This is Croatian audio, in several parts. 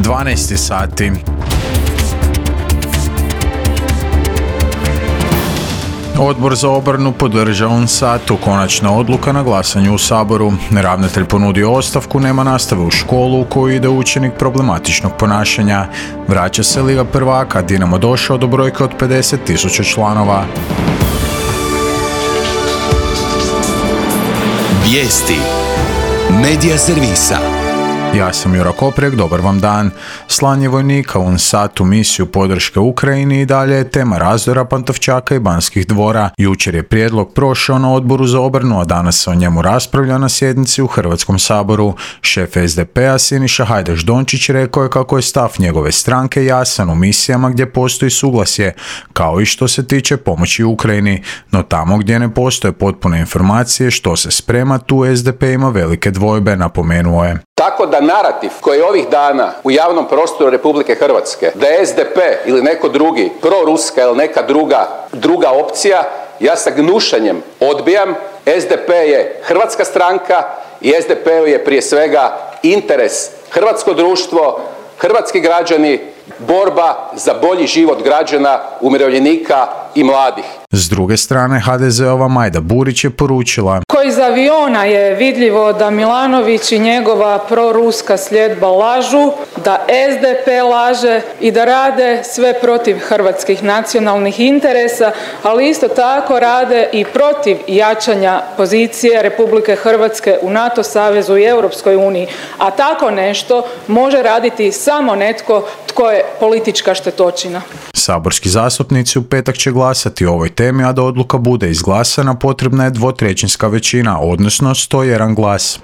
12 sati. Odbor za obranu podržao UNSAT-u, konačna odluka na glasanju u Saboru. Ravnatelj ponudio ostavku, nema nastave u školu u koju ide učenik problematičnog ponašanja. Vraća se Liga prvaka, Dinamo došao do brojke od 50.000 članova. Vijesti Medija servisa. Ja sam Jura Koprek, dobar vam dan. Slanje vojnika u UNSAT u misiju podrške Ukrajini i dalje je tema razdora Pantovčaka i Banskih dvora. Jučer je prijedlog prošao na Odboru za obranu, a danas se o njemu raspravlja na sjednici u Hrvatskom saboru. Šef SDP-a Siniša Hajdaš Dončić rekao je kako je stav njegove stranke jasan u misijama gdje postoji suglasje, kao i što se tiče pomoći Ukrajini. No tamo gdje ne postoje potpune informacije što se sprema, tu SDP ima velike dvojbe, napomenuo je. Tako da narativ koji je ovih dana u javnom prostoru Republike Hrvatske, da je SDP ili neko drugi proruska ili neka druga opcija, ja sa gnušanjem odbijam. SDP je hrvatska stranka i SDP-u je prije svega interes hrvatsko društvo, hrvatski građani, borba za bolji život građana, umirovljenika i mladih. S druge strane, HDZ-ova Majda Burić je poručila: Iz aviona je vidljivo da Milanović i njegova proruska sljedba lažu, da SDP laže i da rade sve protiv hrvatskih nacionalnih interesa, ali isto tako rade i protiv jačanja pozicije Republike Hrvatske u NATO savezu i Europskoj uniji. A tako nešto može raditi samo netko tko je politička štetočina. Saborski zastupnici u petak će glasati o ovoj temi, a da odluka bude izglasana potrebna je 2/3 većina, odnosno 101 glas.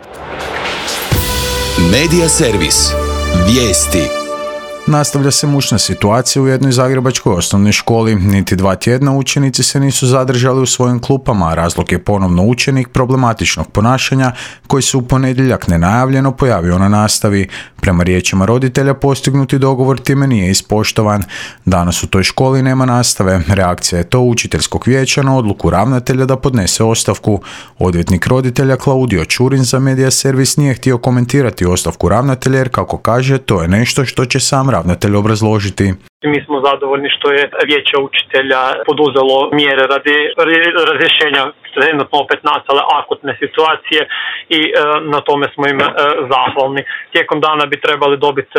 Medija servis. Vijesti. Nastavlja se mučna situacija u jednoj zagrebačkoj osnovnoj školi. Niti 2 tjedna učenici se nisu zadržali u svojim klupama, a razlog je ponovno učenik problematičnog ponašanja koji se u ponedjeljak nenajavljeno pojavio na nastavi. Prema riječima roditelja, postignuti dogovor time nije ispoštovan. Danas u toj školi nema nastave. Reakcija je to učiteljskog vijeća na odluku ravnatelja da podnese ostavku. Odvjetnik roditelja Klaudio Čurin za Medija servis nije htio komentirati ostavku ravnatelja jer, kako kaže, to je nešto što će sam ravnatelj obrazložiti. Mi smo zadovoljni što je vijeće učitelja poduzelo mjere radi razrješenja trenutno opet nastale akutne situacije i na tome smo im zahvalni. Tijekom dana bi trebali dobiti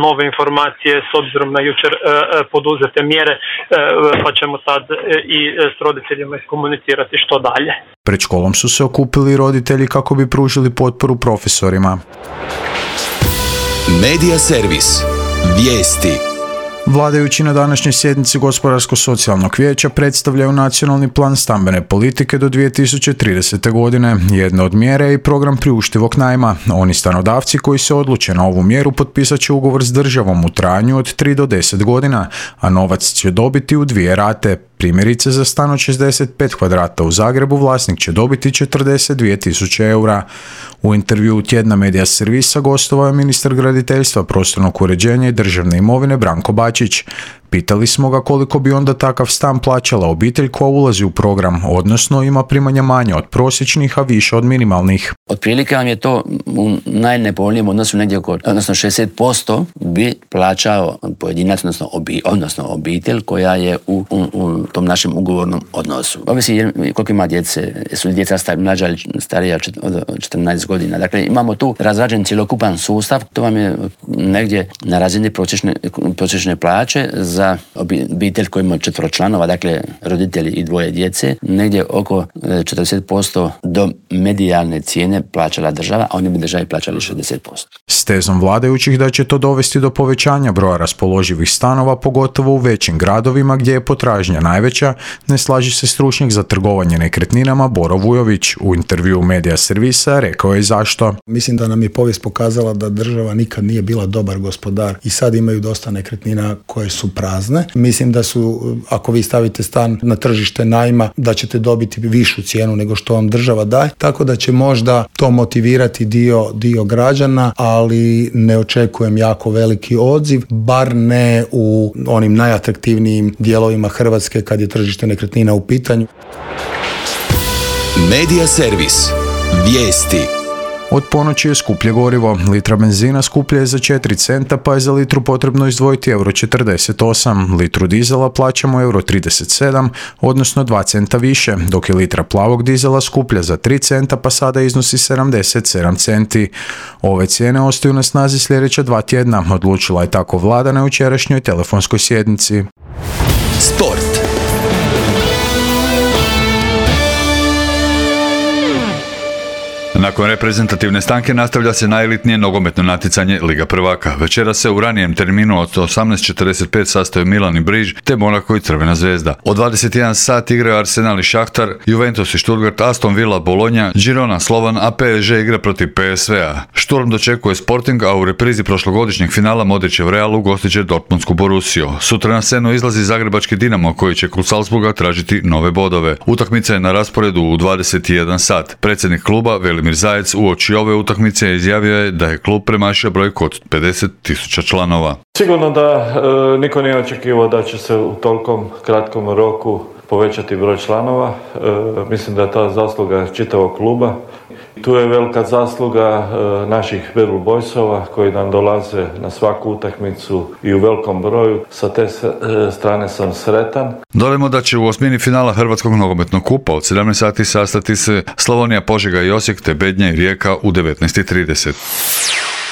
nove informacije s obzirom na jučer poduzete mjere, pa ćemo tad i s roditeljima iskomunicirati što dalje. Pred školom su se okupili roditelji kako bi pružili potporu profesorima. Medija servis. Vijesti. Vladajući na današnjoj sjednici Gospodarsko-socijalnog vijeća predstavljaju nacionalni plan stambene politike do 2030. godine. Jedna od mjera je i program priuštivog najma. Oni stanodavci koji se odluče na ovu mjeru potpisat će ugovor s državom u trajanju od 3 do 10 godina, a novac će dobiti u 2 rate. Primjerice, za stan od 65 kvadrata u Zagrebu vlasnik će dobiti 42.000 eura. U intervjuu tjedna Medija servisa gostovao je ministar graditeljstva, prostornog uređenja i državne imovine Branko Bačić. Pitali smo ga koliko bi onda takav stan plaćala obitelj koja ulazi u program, odnosno ima primanja manje od prosječnih, a više od minimalnih. Otprilike vam je to u najnepovoljnijem odnosu negdje odnosno 60% bi plaćao pojedinac, odnosno obitelj koja je u tom našem ugovornom odnosu. Ovisi koliko ima djece, su li djeca mlađa ili starija od 14 godina. Dakle, imamo tu razrađen cjelokupan sustav, to vam je negdje na razini prosječne plaće za obitelj koji ima 4 članova, dakle roditelji i 2 djece, negdje oko 40% do medijalne cijene plaćala država, a oni bi državi plaćali 60%. S tezom vladajućih da će to dovesti do povećanja broja raspoloživih stanova, pogotovo u većim gradovima gdje je potražnja najveća, ne slaži se stručnjak za trgovanje nekretninama Boro Vujović. U intervjuu Medija servisa rekao je zašto. Mislim da nam je povijest pokazala da država nikad nije bila dobar gospodar i sad imaju dosta nekretnina koje su prazne. Mislim da su, ako vi stavite stan na tržište najma, da ćete dobiti višu cijenu nego što vam država daje, tako da će možda to motivirati dio građana, ali ne očekujem jako veliki odziv, bar ne u onim najatraktivnijim dijelovima Hrvatske kad je tržište nekretnina u pitanju. Medija servis. Vijesti. Od ponoći je skuplje gorivo. Litra benzina skuplja je za 4 centa, pa je za litru potrebno izdvojiti €48. Litru dizela plaćamo €37, odnosno 2 centa više, dok je litra plavog dizela skuplja za 3 centa, pa sada iznosi 77 centi. Ove cijene ostaju na snazi sljedeća 2 tjedna, odlučila je tako vlada na jučerašnjoj telefonskoj sjednici. Sport. Nakon reprezentativne stanke nastavlja se najelitnije nogometno natjecanje Liga prvaka. Večera se u ranijem terminu od 18:45 sastaju Milan i Briž te Monako i Crvena zvezda. Od 21 sat igraju Arsenal i Šahtar, Juventus i Stuttgart, Aston Villa, Bologna, Girona, Slovan, a PSG igra protiv PSV-a. Šturm dočekuje Sporting, a u reprizi prošlogodišnjeg finala Modrićev Real ugostit će Dortmundsku Borussiju. Sutra na scenu izlazi zagrebački Dinamo koji će kod Salzburga tražiti nove bodove. Utakmica je na rasporedu u 21 sat. Predsjednik kluba Velimir Zajec uoči ove utakmice izjavio je da je klub premašio brojku od 50.000 članova. Sigurno da niko nije očekivao da će se u tolikom kratkom roku povećati broj članova. Mislim da je ta zasluga čitavog kluba. Tu je velika zasluga naših Bad Blue Boysova koji nam dolaze na svaku utakmicu i u velikom broju. Sa te strane sam sretan. Dodajmo da će u osmini finala Hrvatskog nogometnog kupa od 17 sati sastati se Slavonija, Požega i Osijek te Bednja i Rijeka u 19:30.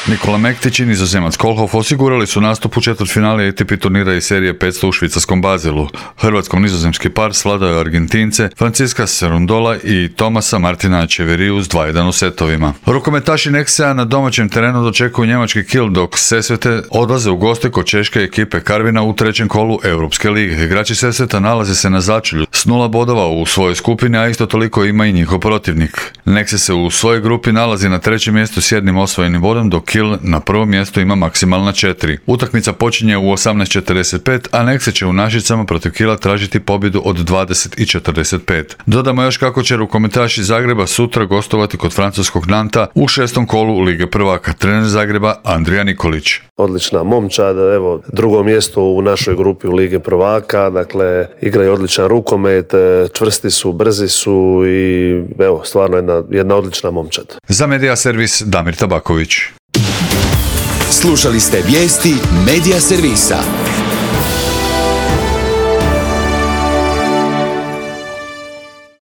Nikola Mektić i Nizozemac Kohlhoff osigurali su nastup u četvrtfinale ATP turnira iz serije 500 u švicarskom Bazilu. Hrvatsko-nizozemski par svladao Argentince Francisca Cerundola i Tomasa Martina Echeveriju s 2:1 u setovima. Rukometaši Nexea na domaćem terenu dočekuju njemački Kiel, dok Sesvete odlaze u goste kod češke ekipe Karvina u trećem kolu Europske lige. Igrači Sesveta nalaze se na začelju s 0 bodova u svojoj skupini, a isto toliko ima i njihov protivnik. Nexe se u svojoj grupi nalazi na trećem mjestu s 1 osvojenim bodom, dok Kiel na prvom mjestu ima maksimalna 4. Utakmica počinje u 18:45, a Nexe će u Našicama protiv Kiela tražiti pobjedu od 20:45. Dodamo još kako će rukometaši Zagreba sutra gostovati kod francuskog Nanta u 6. kolu Lige prvaka. Trener Zagreba Andrija Nikolić. Odlična momčad, evo, drugo mjesto u našoj grupi u Lige prvaka, dakle, igraju odličan rukomet, čvrsti su, brzi su i evo, stvarno jedna odlična momčad. Za Media Servis Damir Tabaković. Slušali ste vijesti Media Servisa.